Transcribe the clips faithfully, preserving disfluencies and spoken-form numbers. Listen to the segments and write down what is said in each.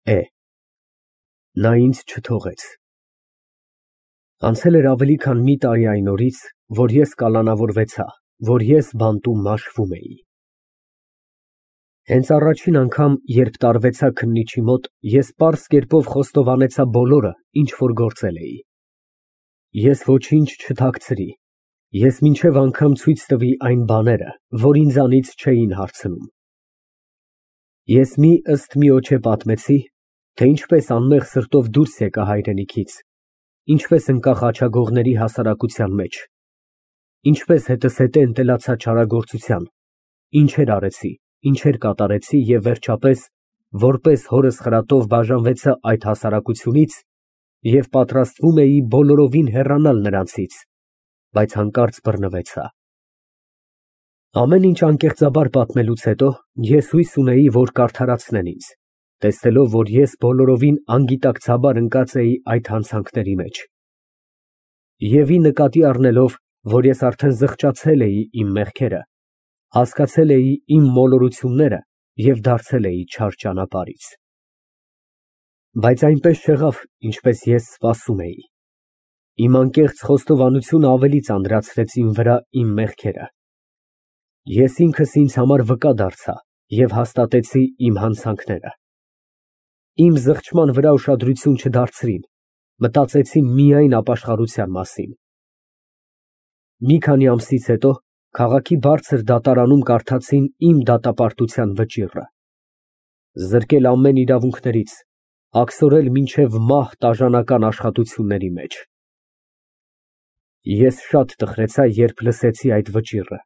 Է. Նա ինձ չթողեց։ Անցել էր ավելի քան մի տարի այն օրից, որ ես կալանավորվեցա, որ ես բանտում մաշվում էի։ Հենց առաջին անգամ, երբ տարվեցա քննիչի մոտ, ես պարզ կերպով խոստովանեցա բոլորը, ինչ որ գործել էի։ Ես ոչինչ չթաքցրի, ես մինչև անգամ ցույց տվի այն բաները, որ ինձանից չէին հարցնում։ Ես մի ըստ միոջե պատմեցի, թե ինչպես անմեղ սրտով դուրս եկա հայրենիքից, ինչպես ընկա խաչագողների հասարակության մեջ, ինչպես հետզհետե ընտելացա չարագործության, ինչեր արեցի, ինչեր կատարեցի և վերջապես, որպես հորս խրատով բաժանվեցա այդ հասարակությունից և պատրաստվում էի բոլորովին հեռանալ նրանցից, բայց հանկարծ բռնվեցա։ Ամեն ինչ անկեղծաբար պատմելուց հետո ես հույս ունեի, որ կարդարացնեն ինձ, տեսնելով, որ ես բոլորովին անգիտակցաբար ընկած էի այդ հանցանքների մեջ, և ի նկատի առնելով, որ ես արդեն զղջացել էի իմ մեղքերը, հասկացել էի իմ մոլորությունները և դարձել էի չար ճանապարհից։ Բայց այնպես չեղավ, ինչպես ես սպասում էի։ Իմ անկեղծ խոստովանությունը ավելի ծանրացրեց իմ վրա իմ մեղքերը։ Ես ինքս ինձ համար վկա դարձա և հաստատեցի իմ հանցանքները։ Իմ զղջման վրա ուշադրություն չդարձրին, մտածեցին միայն ապաշխարության մասին։ Մի քանի ամսից հետո քաղաքի բարձր դատարանում կարդացին իմ դատապարտության վճիռը։ Զրկել ամեն իրավունքներից, աքսորել մինչև մահ տաժանական աշխատությունների մեջ։ Ես շատ տխրեցա, երբ լսեցի այդ վճիռը,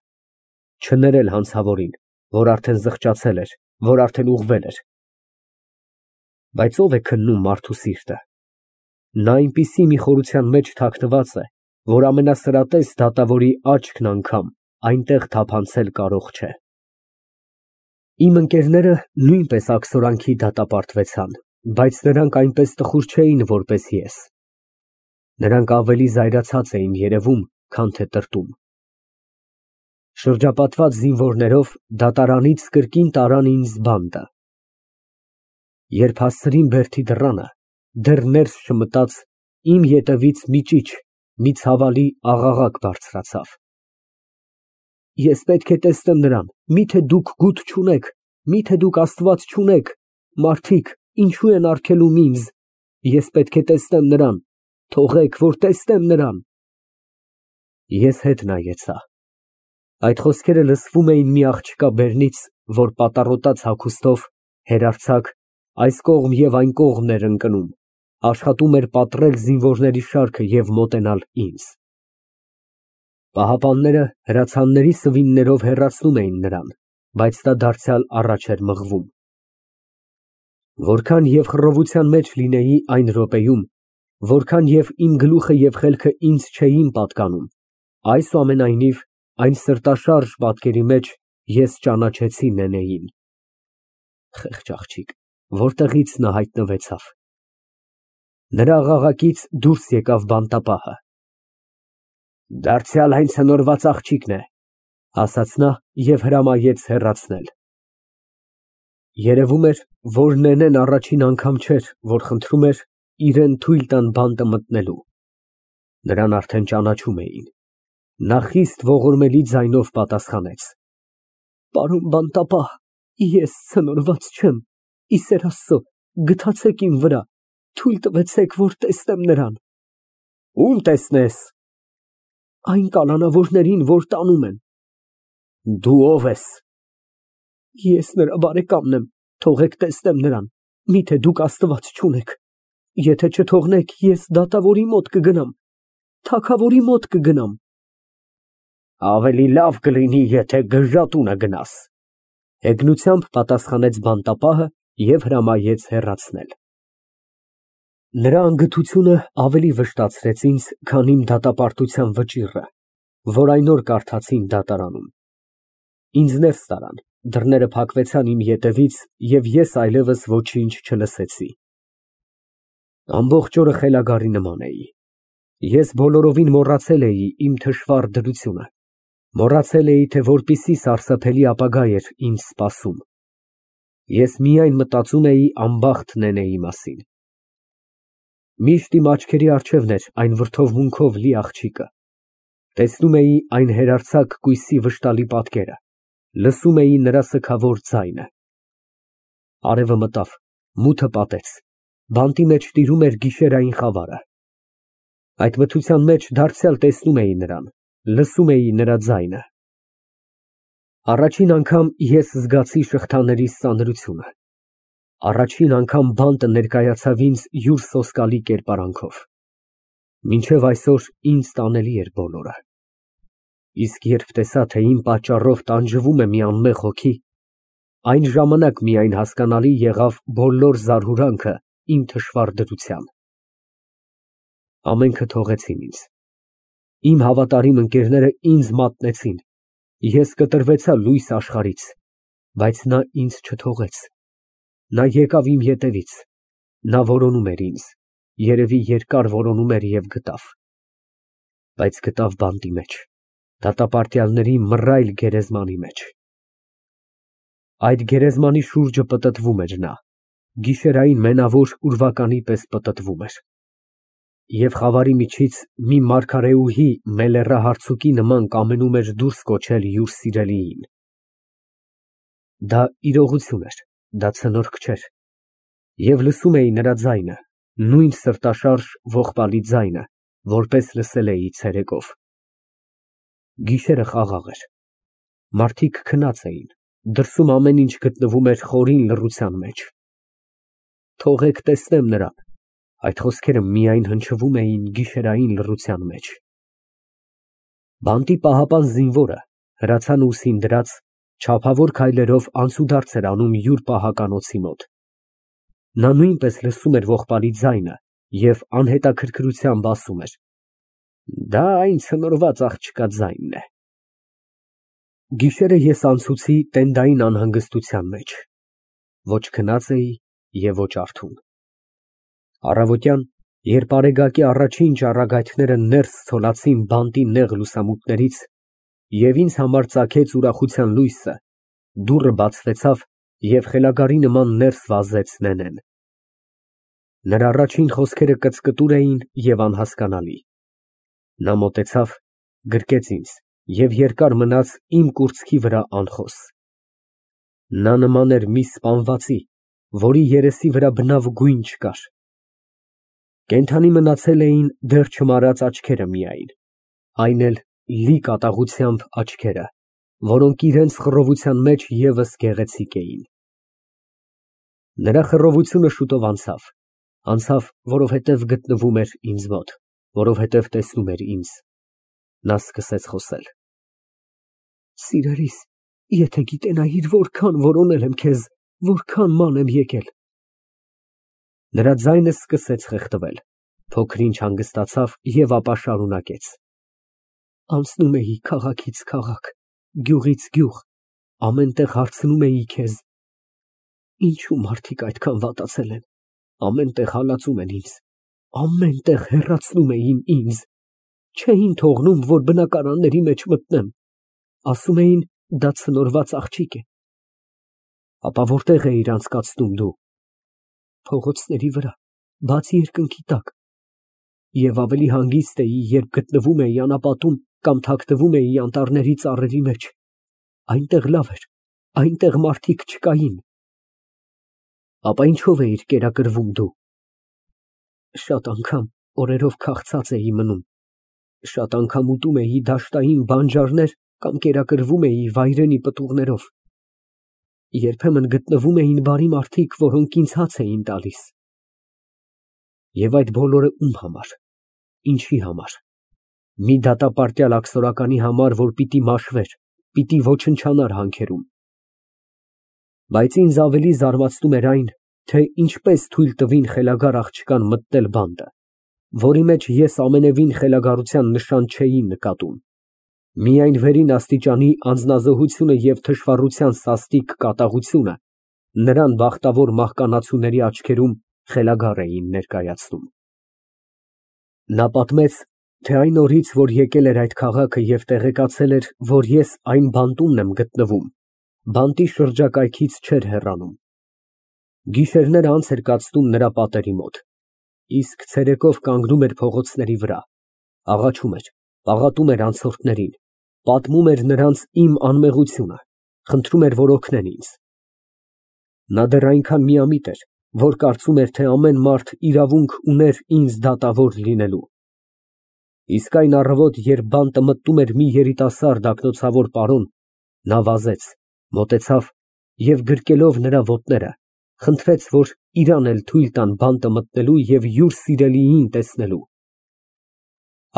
չներել հանցավորին, որ արդեն զղջացել էր, որ արդեն ուղղվել էր։ Բայց ո՞վ է քննում մարդու սիրտը։ Նա այնպիսի մի խորության մեջ թաքնված է, որ ամենասրատես դատավորի աչքն անգամ այնտեղ թափանցել կարող չէ։ Իմ ընկերները նույնպես աքսորանքի դատապարտվեցան, բայց նրանք այնպես տխուր չէին, որպես ես։ Նրանք ավելի զայրացած էին երևում, քան թե տրտում։ Շրջապատված զինվորներով դատարանից կրկին տարան ինձ բանտը։ Երբ հասցրին բերդի դռանը, դեռ ներս չմտած, իմ ետևից մի ճիչ, մի ցավալի աղաղակ բարձրացավ։ Ես պետք է տեսնեմ նրան, միթե դուք գութ չունեք, միթե դուք Աստված չունեք, մարդիկ, ինչու են արգելում ինձ, ես պետք է տեսնեմ նրան, թողեք, որ տեսնեմ նրան։ Ես հետ նայեցա։ Այդ խոսքերը լսվում էին մի աղջկա բերնից, որ պատառոտած հագուստով, հերարձակ, այս կողմ և այն կողմն էր ընկնում, աշխատում էր պատռել զինվորների շարքը և մոտենալ ինձ։ Պահապանները հրացանների սվիններով հեռացնում էին նրան, բայց նա դարձյալ առաջ էր մղվում։ Որքան և խռովության մեջ լինեի այն րոպեում, որքան և իմ գլուխը և խելքը ինձ չէին պատկանում, այսուամենայնիվ, այն սրտաշարժ պատկերի մեջ ես ճանաչեցի Նենեին։ Խեղճ աղջիկ, որտեղից նա հայտնվեցավ։ Նրա աղաղակից դուրս եկավ բանտապահը։ Դարձյալ այն ցնորված աղջիկն է, ասաց նա և հրամայեց հեռացնել։ Երևում էր, որ Նենեն առաջին անգամ չէր, որ խնդրում էր իրան թույլ տան բանտը մտնելու։ Նրան արդեն ճանաչում էին։ Նա խիստ ողորմելի ձայնով պատասխանեց. Պարոն բանտապահ, ես ցնորված չեմ, ի սեր Աստծո, գթացեք իմ վրա, թույլ տվեցեք, որ տեսնեմ նրան։ Ո՞ւմ տեսնես։ Այն կալանավորներին, որ տանում են։ Դու ո՞վ ես։ Ես նրա բարեկամն եմ, թողեք տեսնեմ նրան, միթե դուք Աստված չունեք։ Եթե չթողնեք, ես դատավորի մոտ կգնամ, թագավորի մոտ կգնամ։ Ավելի լավ կլինի, եթե գժատունը գնաս, հեգնությամբ պատասխանեց բանտապահը և հրամայեց հեռացնել։ Նրա անգթությունը ավելի վշտացրեց ինձ, քան իմ դատապարտության վճիռը, որ այն օր կարդացին դատարանում։ Ինձ ներս տարան, դռները փակվեցան իմ ետևից, և ես այլևս ոչինչ չլսեցի։ Ամբողջ օրը խելագարի նման էի։ Ես բոլորովին մոռացել էի իմ թշվառ դրությունը, մոռացել էի, թե որպիսի սարսափելի ապագա էր ինձ սպասում։ Ես միայն մտածում էի անբախտ Նենեի մասին։ Միշտ իմ աչքերի առջևն էր այն վրդովմունքով լի աղջիկը, տեսնում էի այն հերարձակ կույսի վշտալի պատկերը, լսում էի նրա սգավոր ձայնը։ Արևը մտավ, մութը պատեց, բանտի մեջ տիրում էր գիշերային խավարը։ Այդ մթության մեջ դարձյալ տեսնում էի նրան, լսում էի նրա ձայնը։ Առաջին անգամ ես զգացի շղթաների սանրությունը, առաջին անգամ բանտը ներկայացավ ինձ յուր սոսկալի կերպարանքով։ Մինչև այսօր ինձ տանելի էր բոլորը։ Իսկ երբ տեսա, թե իմ պատճառով տանջվում է մի անմեղ հոգի, այն ժամանակ միայն հասկանալի եղավ բոլոր զարհուրանքը իմ թշվառ դրության։ Ամենքը թողեցին ինձ։ Իմ հավատարիմ ընկերները ինձ մատնեցին, ես կտրվեցա լույս աշխարհից, բայց նա ինձ չթողեց։ Նա եկավ իմ ետևից, նա որոնում էր ինձ, երևի երկար որոնում էր և գտավ։ Բայց գտավ բանտի մեջ, դատապարտյալների մռայլ գերեզմանի մեջ։ Այդ գերեզմանի շուրջը պտտվում էր նա, գիշերային մենավոր ուրվականի պես պտտվում էր։ Եվ խավարի միջից մի մարգարեուհի մելեռահարցուկի նման կամենում էր դուրս կոչել յուր սիրելիին։ Դա իրողություն էր, դա ցնորք չէր։ Եվ լսում էի նրա ձայնը, նույն սրտաշարժ ողբալի ձայնը, որպես լսել էի ցերեկով։ Գիշերը խաղաղ էր։ Մարդիկ քնած էին, դրսում ամեն ինչ գտնվում էր խորին լռության մեջ։ Թողեք տեսնեմ նրան։ Այդ խոսքերը միայն հնչվում էին գիշերային լռության մեջ։ Բանտի պահապան զինվորը, հրացանը ուսին դրած, չափավոր քայլերով անցուդարձ էր անում յուր պահականոցի մոտ։ Նա նույնպես լսում էր ողբալի ձայնը և անհետաքրքրությամբ ասում էր. «Դա այն ցնորված աղջկա ձայնն է»։ Գիշերը ես անցուցի տենդային անհանգստության մեջ։ Ոչ քնած էի և ոչ արթուն։ Առավոտյան, երբ արեգակի առաջին ճառագայթները ներս ցոլացին բանտի նեղ լուսամուտներից և ինձ համար ծագեց ուրախության լույսը, դուռը բացվեցավ և խելագարի նման ներս վազեց Նենեն։ Նրա առաջին խոսքերը կծկտուր էին և անհասկանալի։ Նա մոտեցավ, գրկեց ինձ և երկար մնաց իմ կուրծքի վրա անխոս։ Նա նման էր մի սպանվածի, որի երեսի վրա բնավ գույն չկար։ Կենդանի մնացել էին դեռ չմարած աչքերը միայն, այն էլ լի կատաղությամբ աչքերը, որոնք իրենց խռովության մեջ ևս գեղեցիկ էին։ Նրա խռովությունը շուտով անցավ, անցավ, որովհետև գտնվում էր ինձ մոտ, որովհետև տեսնում էր ինձ։ Նա սկսեց խոսել. «Սիրելիս, եթե գիտենայիր որքան որոնել եմ քեզ, որքան ման եմ եկել»։ Նրա ձայնը սկսեց խեղդվել, փոքր-ինչ հանգստացավ և ապա շարունակեց. «Անցնում էի քաղաքից քաղաք, գյուղից գյուղ, ամեն տեղ հարցնում էի քեզ. ինչո՞ւ մարդիկ այդքան վատացել են, ամեն տեղ հալածում են ինձ, ամեն տեղ հեռացնում էին ինձ, չէին թողնում, որ բնակարանների մեջ մտնեմ, ասում էին, դա ցնորված աղջիկ է։ Ապա որտե՞ղ էիր անցկացնում դու։ Փողոցների վրա, բաց երկնքի տակ։ Եվ ավելի հանգիստ էի, երբ գտնվում էի անապատում կամ թաքնվում էի անտառների ծառերի մեջ, այնտեղ լավ էր, այնտեղ մարդիկ չկային։ Ապա ինչո՞վ էիր կերակրվում դու։ Շատ անգամ օրերով քաղցած էի մնում, շատ անգամ ուտում էի դաշտային բանջարներ կամ կերակրվում էի վայրենի պտուղներով։ Երբեմն գտնվում էին բարի մարդիկ, որոնք ինձ հաց էին տալիս։ Եվ այդ բոլորը ում համար, ինչի համար։ Մի դատապարտյալ աքսորականի համար, որ պիտի մաշվեր, պիտի ոչնչանար հանքերում։ Բայց ինձ ավելի զարմացնում էր այն, թե ինչպես թույլ տվին խելագար աղջկան մտնել բանտը, որի մեջ ես ամենևին խելագարության նշան չէի նկատում։ Միայն վերին աստիճանի անձնազոհությունը և թշվառության սաստիկ կատաղությունը նրան բախտավոր մահկանացուների աչքերում խելագար էին ներկայացնում։ Նա պատմեց, թե այն օրից, որ եկել էր այդ քաղաքը և տեղեկացել էր, որ ես այն բանտումն եմ գտնվում, բանտի շրջակայքից չէր հեռանում, Գիշերները անց էր կացնում նրա պատերի մոտ, իսկ ցերեկով կանգնում էր փողոցների վրա, աղաչում էր, պաղատում էր անցորդներին, պատմում էր նրանց իմ անմեղությունը, խնդրում էր, որ օգնեն ինձ։ Նա դեռ այնքան միամիտ էր, որ կարծում էր, թե ամեն մարդ իրավունք ուներ ինձ դատավոր լինելու։ Իսկ այն առավոտ, երբ բանտը մտնում էր մի երիտասարդ ակնոցավոր պարոն, նա վազեց, մոտեցավ և գրկելով նրա ոտները, խնդրեց, որ իրան էլ թույլ տան բանտը մտնելու և յուր սիրելիին տեսնելու։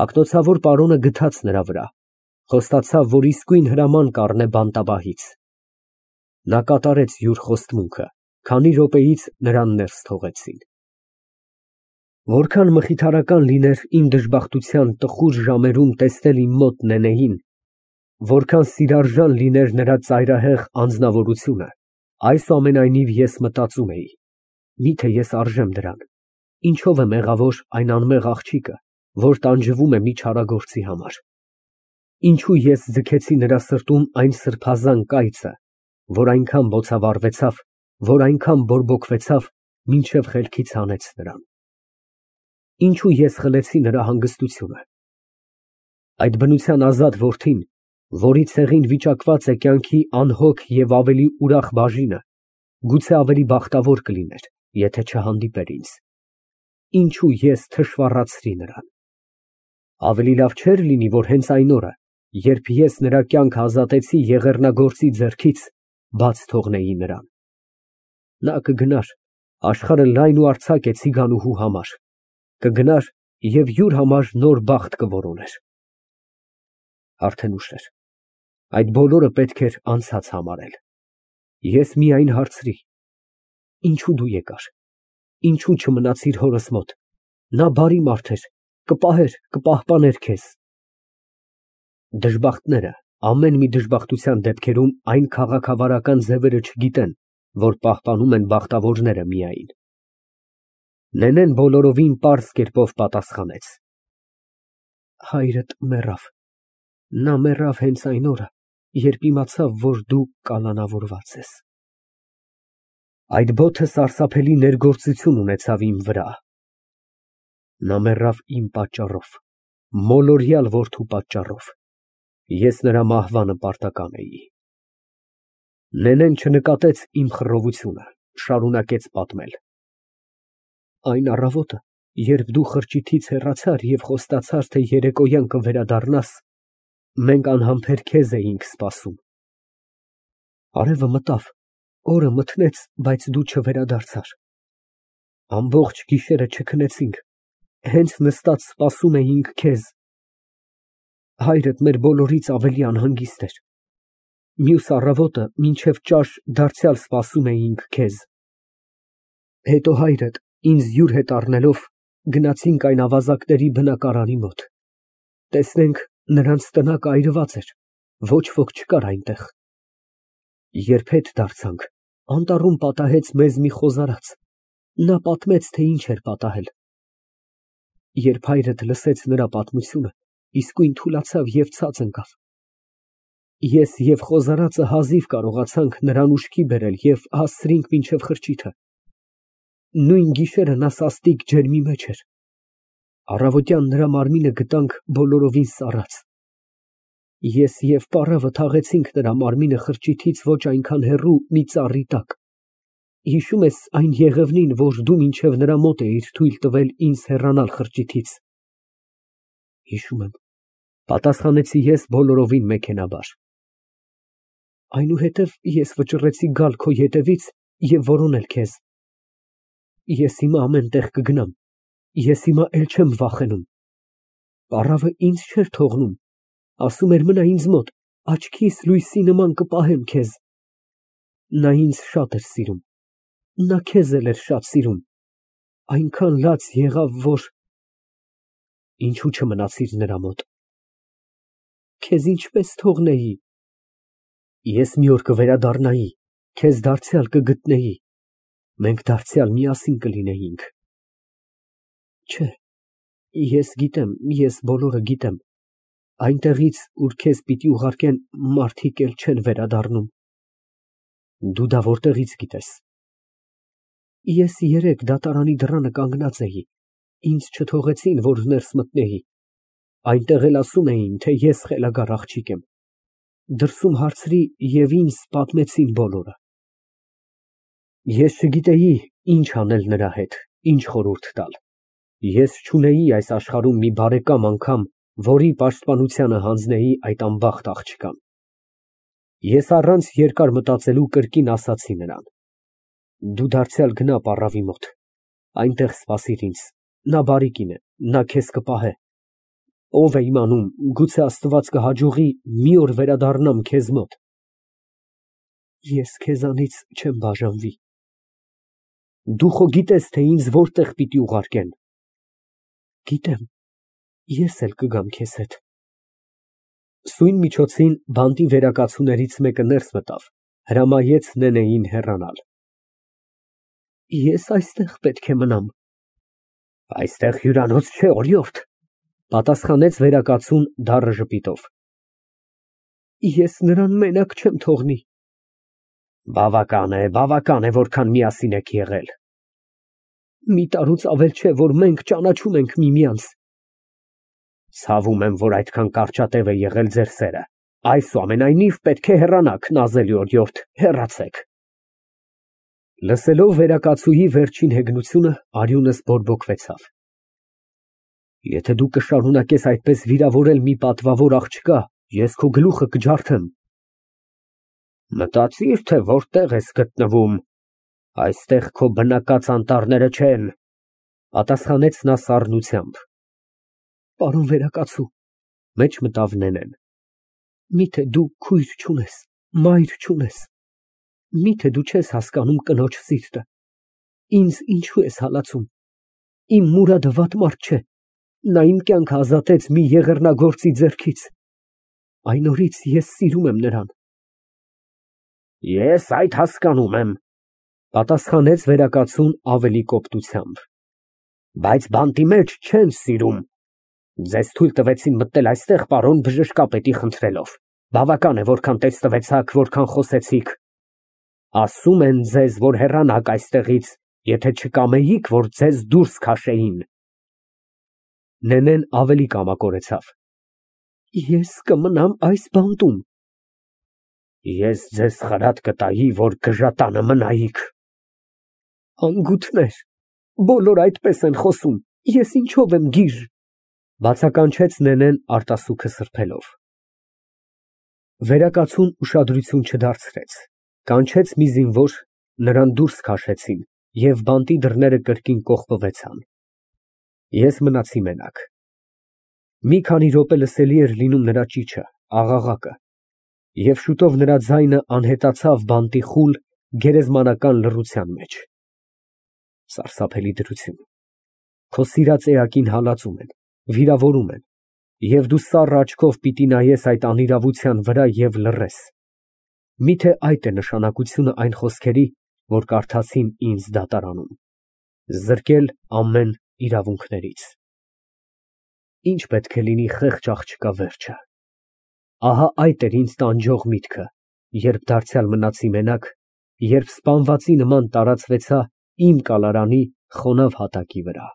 Ակնոցավոր պարոնը գթաց նրա վրա, խոստացավ, որ իսկույն հրաման կառնե բանտապահից։ Նա կատարեց յուր խոստմունքը, քանի րոպեից նրան ներս թողեցին։ Որքան մխիթարական լիներ իմ դժբախտության տխուր ժամերում տեսնել իմ մոտ Նենեին, որքան սիրարժան լիներ նրա ծայրահեղ անձնավորությունը, այսուամենայնիվ ես մտածում էի. միթե ես արժե՞մ դրան, ինչո՞վ է մեղավոր այն անմեղ աղջիկը, որ տանջվում է մի չարագործի համար, ինչո՞ւ ես ձգեցի նրա սրտում այն սրբազան կայծը, որ այնքան բոցավառվեցավ, որ այնքան բորբոքվեցավ, մինչև խելքից հանեց նրան, ինչո՞ւ ես խլեցի նրա հանգստությունը։ Այդ բնության ազատ որդին, որի ցեղին վիճակված է կյանքի անհոգ և ավելի ուրախ բաժինը, գուցե ավելի բախտավոր կլիներ, եթե չհանդիպեր ինձ, ինչո՞ւ ես թշվառացրի նրան։ Ավելի լավ չէր լինի, որ հենց այն օրը, երբ ես նրա կյանքը ազատեցի եղեռնագործի ձեռքից, բաց թողնեի նրան։ Նա կգնար, աշխարհը լայն ու արձակ է ցիգանուհու համար, կգնար և յուր համար նոր բախտ կորոներ։ Արդեն ուշ էր, այդ բոլորը պետք էր անցած համարել։ Ես միայն հարցրի. ինչո՞ւ դու եկար, ինչո՞ւ չմնացիր հորս մոտ, նա բարի մարդ էր, կպահեր, կպահպաներ քեզ։ Դժբախտները ամեն մի դժբախտության դեպքերում այն քաղաքավարական ձևերը չգիտեն, որ պահպանում են բախտավորները միայն։ Նենեն բոլորովին պարզ կերպով պատասխանեց. հայրդ մեռավ, նա մեռավ հենց այն օրը, երբ իմացավ, որ դու կալանավորված ես։ Այդ բոթը սարսափելի ներգործություն ունեցավ իմ վրա։ Նա մեռավ իմ պատճառով, մոլորյալ որդու պատճառով, ես նրա մահվանը պարտական էի։ Նենեն չնկատեց իմ խռովությունը, շարունակեց պատմել. այն առավոտը, երբ դու խրճիթից հեռացար և խոստացար, թե երեկոյան կվերադառնաս, մենք անհամբեր քեզ էինք սպասում։ Արևը մտավ, օրը մթնեց, բայց դու չվերադարձար։ Ամբողջ գիշերը չքնեցինք, հենց նստած սպասում էինք քեզ։ Հայրդ մեր բոլորից ավելի անհանգիստ էր։ Մյուս առավոտը մինչև ճաշ դարձյալ սպասում էինք քեզ։ Հետո հայրդ ինձ յուր հետ առնելով, գնացինք այն ավազակների բնակարանի մոտ, տեսնենք, նրանց տնակը այրված էր, ոչ ոք չկար այնտեղ։ Երբ հետ դարձանք, անտառում պատահեց մեզ մի խոզարած, նա պատմեց, թե ինչ էր պատահել։ Երբ հայրդ լսեց նրա պատմությունը, իսկույն թուլացավ և ցած ընկավ։ Ես և խոզարածը հազիվ կարողացանք նրան ուշքի բերել և հասցրինք մինչև խրճիթը։ Նույն գիշերը նա սաստիկ ջերմի մեջ էր։ Առավոտյան նրա մարմինը գտանք բոլորովին սառած։ Ես և պառավը թաղեցինք նրա մարմինը խրճիթից ոչ այնքան հեռու մի ծառի տակ։ Հիշո՞ւմ ես այն եղևնին, որ դու մինչև նրա մոտ էիր թույլ տվել ինձ հեռանալ խրճիթից։ Հիշում եմ, պատասխանեցի ես բոլորովին մեքենաբար։ Այնուհետև ես վճռեցի գալ քո ետևից և որոնել քեզ։ Ես հիմա ամեն տեղ կգնամ, ես հիմա էլ չեմ վախենում։ Պառավը ինձ չէր թողնում, ասում էր մնա ինձ մոտ, աչքիս լույսի նման կպահեմ քեզ։ Նա ինձ շատ էր սիրում, նա քեզ էլ էր շատ սիրում, այնքան լաց եղավ, որ… Ինչո՞ւ չմնացիր նրա մոտ։ Քեզ ինչպես թողնեի։ Ես մի օր կվերադառնայի, քեզ դարձյալ կգտնեի, մենք դարձյալ միասին կլինեինք։ Չէ, ես գիտեմ, ես բոլորը գիտեմ, այնտեղից, ուր քեզ պիտի ուղարկեն, մարդիկ էլ չեն վերադառնում։ Դու դա որտեղից գիտես։ Ես երեկ դատարանի դռանը կանգնած էի, ինձ չթողեցին, որ ներս մտնեի, այնտեղ էլ ասում էին, թե ես խելագար աղջիկ եմ, դրսում հարցրի և ինձ պատմեցին բոլորը։ Ես չգիտեի ինչ անել նրա հետ, ինչ խորհուրդ տալ, ես չունեի այս աշխարհում մի բարեկամ անգամ, որի պաշտպանությանը հանձնեի այդ անբախտ աղջկան։ Ես առանց երկար մտածելու կրկին ասացի նրան. դու դարձյալ գնա պառավի մոտ, այնտեղ սպասիր ինձ, նա բարի կին է, նա քեզ կպահե, ով է իմանում, գուցե Աստված կհաջողի մի օր վերադառնամ քեզ մոտ։ Ես քեզանից չեմ բաժանվի։ Դու խո գիտես, թե ինձ որտեղ պիտի ուղարկեն։ Գիտեմ, ես էլ կգամ քեզ հետ։ Սույն միջոցին բանտի վերակացուներից մեկը ներս մտավ, հրամայեց Նենեին հեռանալ։ Ես այստեղ պետք է մնամ։ Այստեղ հյուրանոց չէ, օրիորդ, պատասխանեց վերակացուն դառը ժպիտով։ Ես նրան մենակ չեմ թողնի։ Բավական է, բավական է, որքան միասին եք եղել։ Մի տարուց ավել չէ, որ մենք ճանաչում ենք միմյանց։ Ցավում եմ, որ այդքան կարճատև է եղել ձեր սերը։ Այսուամենայնիվ պետք է հեռանաք, նազելի օրիորդ, հեռացեք։ Լսելով վերակացուի վերջին հեգնությունը, արյունս բորբոքվեցավ։ Եթե դու կշարունակես այդպես վիրավորել մի պատվավոր աղջկա, ես քո գլուխը կջարդեմ։ Մտածիր, թե որտեղ ես գտնվում, այստեղ քո բնակած անտառները չեն, պատասխանեց նա սառնությամբ։ Պարոն վերակացու, մեջ մտավ Նենեն, միթե դու քույր չունես, մայր չունես, միթե դու չես հասկանում կնոջ սիրտը, ինձ ինչու ես հալածում, իմ Մուրադը վատ մարդ չէ, նա իմ կյանքը ազատեց մի եղեռնագործի ձեռքից, այն օրից ես սիրում եմ նրան։ Ես այդ հասկանում եմ, պատասխանեց վերակացուն ավելի կոպտությամբ, բայց բանտի մեջ չեն սիրում։ Ձեզ թույլ տվեցին մտնել այստեղ պարոն բժշկապետի խնդրելով, բավական է, որքան տեստվեցաք, որքան խոսեցիք։ Ասում են ձեզ, որ հեռանաք այստեղից, եթե չկամեիք, որ ձեզ դուրս քաշեին։ Նենեն ավելի կամակորեցավ։ Ես կմնամ այս բանտում։ Ես ձեզ խրատ կտայի, որ գժատանը մնայիք։ Անգութներ, բոլոր այդպես են խոսում, ես ինչով եմ գիժ, բացականչեց Նենեն արտասուքը սրբելով։ Վերակացուն ուշադրություն չդարձրեց, կանչեց մի զինվոր, նրան դուրս քաշեցին և բանտի դռները կրկին կողպվեցան։ Ես մնացի մենակ։ Մի քանի րոպե լսելի էր լինում նրա ճիչը, աղաղակը, և շուտով նրա ձայնը անհետացավ բանտի խուլ, գերեզմանական լռության մեջ։ Սարսափելի դրություն։ Քո սիրած էակին հալածում են, վիրավորում են, և դու սառը աչքով պիտի նայես այդ անիրավության վրա և լռես։ Միթե այդ է նշանակությունը այն խոսքերի, որ կարդացին ինձ դատարանում, զրկել ամեն իրավունքներից։ Ինչ պետք է լինի խեղճ աղջկա վերջը։ Ահա այդ էր ինձ տանջող միտքը, երբ դարձյալ մնացի մենակ, երբ սպանվածի նման տարածվեցա իմ կալարանի խոնավ հատակի վրա։